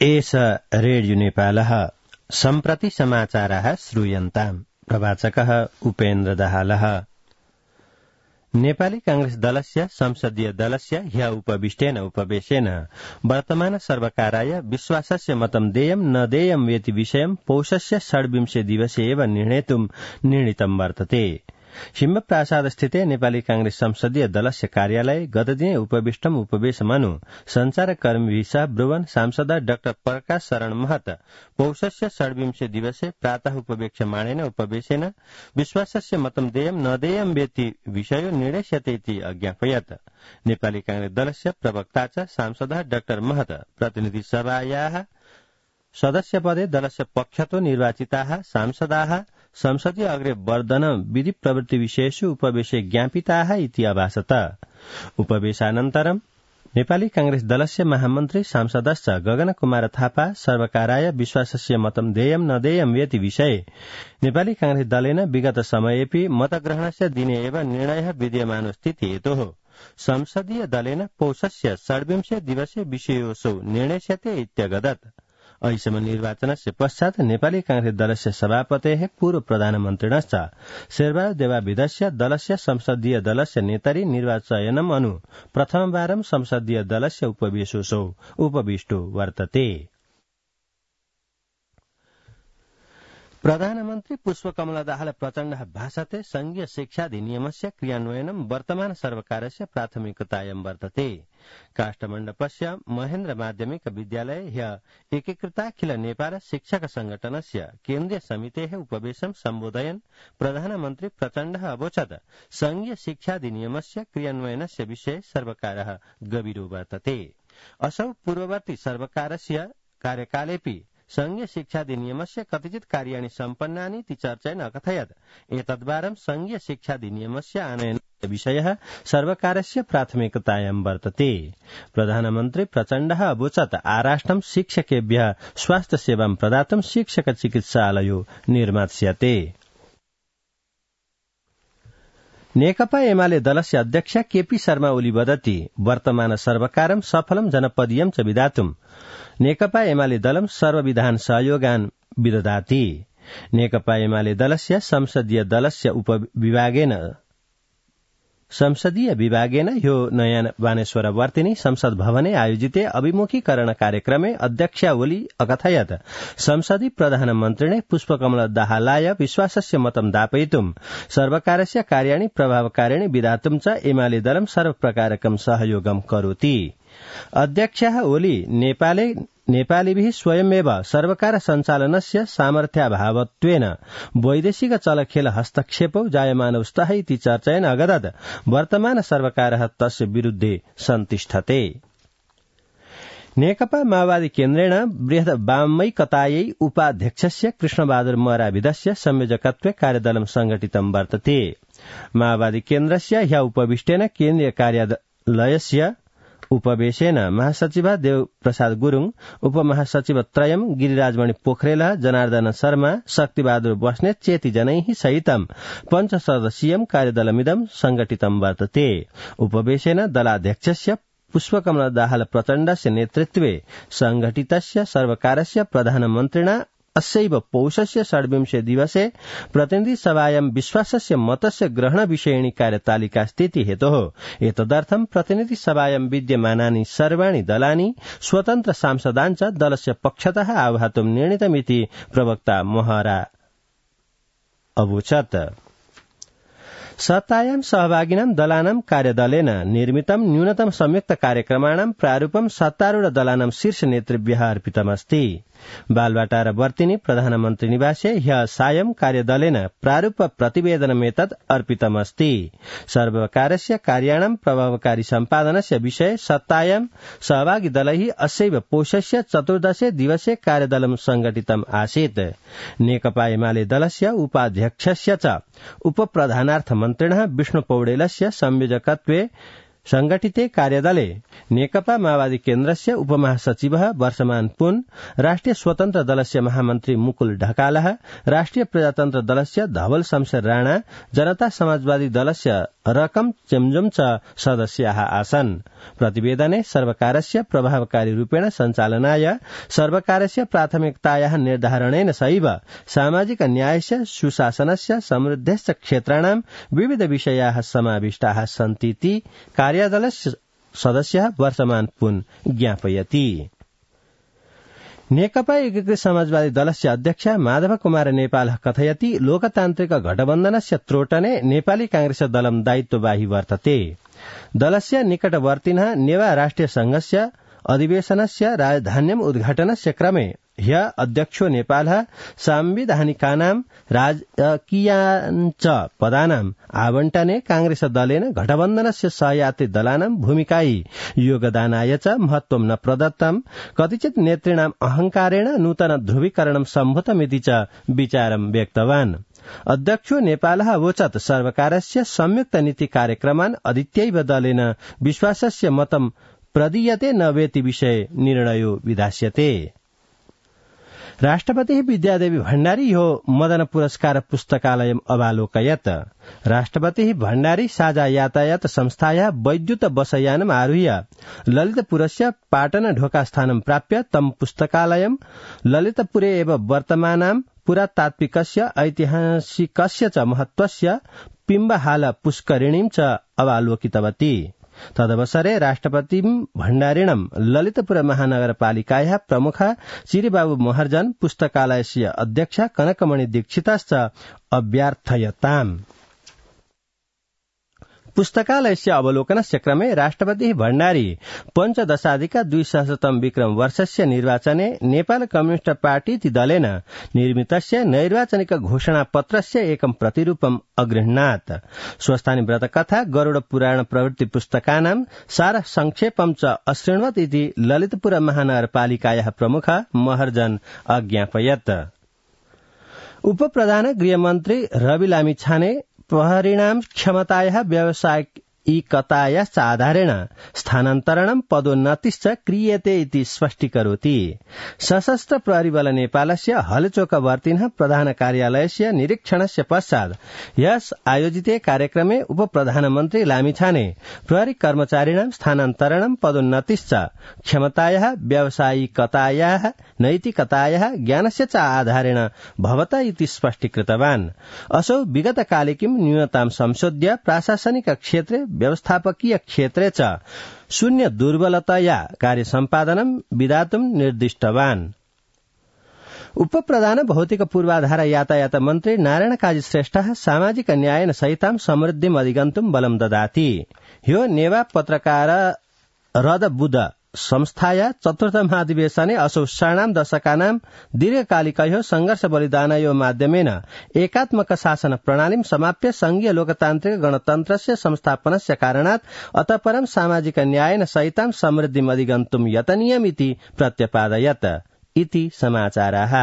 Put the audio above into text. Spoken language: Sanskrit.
एष रेडियो नेपालः सम्प्रति समाचाराः श्रूयन्ताम्। प्रवाचकः उपेन्द्र दाहालः। नेपाली कांग्रेस दलस्य संसदीय दलस्य ह्य उपविष्टेन उपवेशेन वर्तमान सर्वकाराय विश्वासस्य मतं देयं न देयं वेति विषयं पौषस्य 26 दिवसे एव निर्णेतुं निर्णीतं वर्तते। सिंहप्रासादस्थिते नेपाली कांग्रेस संसदीय दलस्य कार्यालये गतदिने उपविष्टम् उपवेशमनु संचारकर्मीभिः सह ब्रुवन सांसद डाक्टर प्रकाश शरण महत पौषस्य 26 दिवसे प्रातः उपवेक्ष्यमाणेन उपवेशेन विश्वासस्य मतं देयं न देयं वेति विषयो निर्णेष्यते इति अज्ञापयत्। नेपाली कांग्रेस दलस्य प्रवक्ता च सांसद डाक्टर महत प्रतिनिधि सभायाः सदस्यपदे दलस्य पक्षतो निर्वाचिताः सांसदाः संसदीय अग्रे वर्धन विधि प्रवृत्ति विषयेषु उपवेशे ज्ञापिताः इति अभासत। उपवेशानन्तरं नेपाली कांग्रेस दलस्य महामन्त्री सांसदश्च गगन कुमार थापा सर्वकाराय विश्वासस्य मतं देयं न देयं वेति विषये नेपाली कांग्रेस दलेन विगत समयेपि मतग्रहणस्य दिने एव निर्णयः विद्यमानोऽस्ति हेतोः संसदीय दलेन पौषस्य 26 दिवसे विषयोऽसौ निर्णेष्यते इत्यगदत्। अहिसम निर्वाचनस्य पश्चात् नेपाली कांग्रेस दलस्य सभापतेः पूर्व प्रधानमन्त्रिणश्च शेरबहादुर देवाविदस्य दलस्य संसदीय दलस्य नेतरि निर्वाचनम् अनु प्रथमवारं संसदीय दलस्य उपवेशोऽसौ उपविष्टो वर्तते। प्रधानमन्त्री पुष्पकमल दाहाल प्रचण्डः भाषते संघीय शिक्षाधिनियमस्य क्रियान्वयनं वर्तमान सर्वकारस्य प्राथमिकतायां वर्तते। काष्ठमण्डपस्य महेन्द्र माध्यमिक विद्यालये ह्य एकीकृताखिल नेपाल शिक्षक संगठनस्य केन्द्रीय समितेः उपवेशं सम्बोधयन् प्रधानमन्त्री प्रचण्डः अवोचत् संघीय शिक्षाधिनियमस्य क्रियान्वयनस्य विषये सर्वकारः गभीरो वर्तते। असौ पूर्ववर्ती सर्वकारस्य कार्यकालेऽपि संघीय शिक्षाधिनियमस्य कतिचित् कार्याणि सम्पन्नानि इति चर्चयन् अकथयत् एतद्वारं संघीय शिक्षाधिनियमस्य आनयनस्य विषयः सर्वकारस्य प्राथमिकतायां वर्तते। प्रधानमन्त्री प्रचण्डः अवोचत् आराष्ट्रं शिक्षकेभ्यः स्वास्थ्य सेवां प्रदातुं शिक्षक चिकित्सालयो निर्मास्यते। नेकपा एमाले दलस्य अध्यक्ष केपी शर्मा ओली वदति वर्तमान सर्वकारं सफलं जनपदीयं च विधातुं नेकपा एमाले दलं सर्वविधान सहयोगान् विदधाति। नेकपा एमाले दलस्य संसदीय विभागेन ह्यो नयाँ बानेश्वर वर्तिनी संसद भवने आयोजिते अभिमुखीकरण कार्यक्रमे अध्यक्ष ओली अकथयत् संसदि प्रधानमन्त्रिणे पुष्पकमल दाहालाय विश्वासस्य मतं दापयितुं सर्वकारस्य कार्याणि प्रभावकारिणि विधातुं च एमाले दलं सर्वप्रकारकं सहयोगं करोति। अध्यक्षः ओली नेपालीभिः स्वयमेव सर्वकार सञ्चालनस्य सामर्थ्याभावत्वेन वैदेशिक चलखेल हस्तक्षेपौ जायमानौ स्तः इति चर्चयन् अगदत् वर्तमान सर्वकारः तस्य विरुद्धे सन्तिष्ठते। नेकपा माओवादी केन्द्रेण बृहत् वामैकतायै उपाध्यक्षस्य कृष्णबहादुर मराविदस्य संयोजकत्वे कार्यदलं संघटितं वर्तते। माओवादी केन्द्रस्य ह्य उपविष्टेन केन्द्रीय कार्यालयस्य उपवेशेन महासचिव देव प्रसाद गुरुङ, उपमहासचिव त्रयम गिरिराजमणि पोखरेल, जनार्दन शर्मा, शक्तिबहादुर बस्नेत चेति जनैः सहितं पञ्चसदस्यीयं कार्यदलमिदं संघटितं वर्तते। उपवेशेन दलाध्यक्षस्य पुष्पकमल दाहाल प्रचण्डस्य नेतृत्वे संघटितस्य सर्वकारस्य प्रधानमन्त्रिणा अस्यैव पौषस्य 26 दिवसे प्रतिनिधि सभायां विश्वासस्य मतस्य ग्रहण विषयिणी कार्यतालिका स्थिति हेतोः एतदर्थं प्रतिनिधि सभायां विद्यमानानि सर्वाणि दलानि स्वतन्त्र सांसदान् च दलस्य पक्षतः आह्वातुं निर्णीतमिति प्रवक्ता महरा अवोचत्। सत्तायां सहभागिनां दलानां कार्यदलेन निर्मितं न्यूनतम संयुक्त कार्यक्रमाणां प्रारूपं सत्तारूढ दलानां शीर्ष नेतृभ्यः अर्पितमस्ति। बालवाटार वर्तिनी प्रधानमन्त्री निवासे ह्य सायं कार्यदलेन प्रारूप प्रतिवेदनमेतत् अर्पितमस्ति। सर्वकारस्य कार्याणां प्रभावकारी सम्पादनस्य विषये सत्तायां सहभागी दलैः अस्यैव पौषस्य 14 दिवसे कार्यदलं संघटितम् आसीत्। नेकपा एमाले दलस्य उपाध्यक्षस्य च उपप्रधानार्थ मन्त्रिणः विष्णु पौडेलस्य संयोजकत्वे संघटिते कार्यदले नेकपा माओवादी केन्द्रस्य उपमहासचिवः वर्षमान पुन, राष्ट्रिय स्वतन्त्र दलस्य महामन्त्री मुकुल ढकालः, राष्ट्रिय प्रजातन्त्र दलस्य धवल शमशेर राणा, जनता समाजवादी दलस्य रकम चेम्जुम च सदस्याः आसन्। प्रतिवेदने सर्वकारस्य प्रभावकारी रूपेण सञ्चालनाय सर्वकारस्य प्राथमिकतायाः निर्धारणेन सैव सामाजिक न्यायस्य सुशासनस्य समृद्धस्य क्षेत्राणां विविध विषयाः समाविष्टाः सन्तीति कार्यदलस्य सदस्यः वर्तमान पुन ज्ञापयति। नेकपा एकीकृत समाजवादी दलस्य अध्यक्ष माधव कुमार नेपाल कथयति लोकतान्त्रिक गठबन्धनस्य त्रोटने नेपाली कांग्रेस दलं दायित्ववाही वर्तते। दलस्य निकटवर्तिनः नेवा राष्ट्रिय संघस्य अधिवेशनस्य राजधान्यम् उद्घाटनस्य क्रमे ह्य अध्यक्षो नेपालः सांविधानिकानां राजकीयाञ्च पदानाम् आवण्टने कांग्रेस दलेन गठबन्धनस्य सहयात्री दलानां भूमिकायै योगदानाय च महत्वं न प्रदत्तम् कतिचित् नेतॄणाम् अहंकारेण नूतन ध्रुवीकरणं सम्भूतमिति च विचारं व्यक्तवान्। अध्यक्षो नेपालः अवोचत् सर्वकारस्य संयुक्त नीति कार्यक्रमान् अधीत्यैव दलेन विश्वासस्य मतं प्रदीयते न वेति विषये निर्णयो विधास्यते। राष्ट्रपतिः विद्यादेवी भण्डारी ह्यो मदन पुरस्कार पुस्तकालयम् अवालोकयत्। राष्ट्रपतिः भण्डारी साझा यातायात संस्थायाः वैद्युत बसयानम् आरुह्य ललितपुरस्य पाटन ढोकास्थानं प्राप्य तं पुस्तकालयं ललितपुरे एव वर्तमानां पुरातात्विकस्य ऐतिहासिकस्य च महत्वस्य पिम्बहाल पुष्करिणीं च अवालोकितवती। तदवसरे राष्ट्रपति भण्डारिणं ललितपुर महानगरपालिकायाः प्रमुख चिरिबाबु महर्जन पुस्तकालयस्य अध्यक्ष कनकमणि दीक्षितश्च अभ्यर्थयताम्। पुस्तकालयस्य अवलोकनस्य क्रमे राष्ट्रपतिः भण्डारी 15+200 विक्रम वर्षस्य निर्वाचने नेपाल कम्युनिस्ट पार्टी इति दलेन निर्मितस्य नैर्वाचनिक घोषणापत्रस्य एकं प्रतिरूपम् अगृह्णात्। स्वस्थानि व्रतकथा गरुड पुराण प्रवृत्ति पुस्तकानां सार संक्षेपं च अशृण्वत् इति ललितपुर महानगरपालिकायाः प्रमुख महर्जन अज्ञापयत्। उपप्रधान गृहमन्त्री रवि लामिछाने प्रहरीणां क्षमतायाः व्यावसायिकतायाश्च आधारेण स्थानान्तरणं पदोन्नतिश्च क्रियते इति स्पष्टीकरोति। सशस्त्र प्रहरी बल नेपालस्य हलचोकवर्तिनः प्रधान कार्यालयस्य निरीक्षणस्य पश्चात् यस आयोजिते कार्यक्रमे उपप्रधानमन्त्री लामिछाने प्रहरी कर्मचारिणां स्थानान्तरणं पदोन्नतिश्च क्षमतायाः व्यावसायिकतायाः नैतिकतायाः ज्ञानस्य च आधारेण भवता इति स्पष्टीकृतवान्। असौ विगतकालिकीं न्यूनतां संशोध्य प्राशासनिक क्षेत्रे व्यवस्थापकीय क्षेत्रे च शून्य दुर्बलतया कार्य सम्पादनं विधातुं निर्दिष्टवान्। उपप्रधान भौतिक पूर्वाधार यातायात मन्त्री नारायण काजी श्रेष्ठः सामाजिक न्यायेन सहितां समृद्धिम् अधिगन्तुं बलं ददाति। ह्यो नेवा पत्रकार रद बुध संस्थाया चतुर्थ महाधिवेशने असौ षाणां दशकानां दीर्घकालिकयो संघर्ष बलिदानयो माध्यमेन एकात्मक शासन प्रणालीं समाप्य संघीय लोकतान्त्रिक गणतन्त्रस्य संस्थापनस्य कारणात् अतः परं सामाजिक न्यायेन सहितां समृद्धिम् अधिगन्तुं यतनीयमिति प्रत्यपादयत् इति समाचाराः।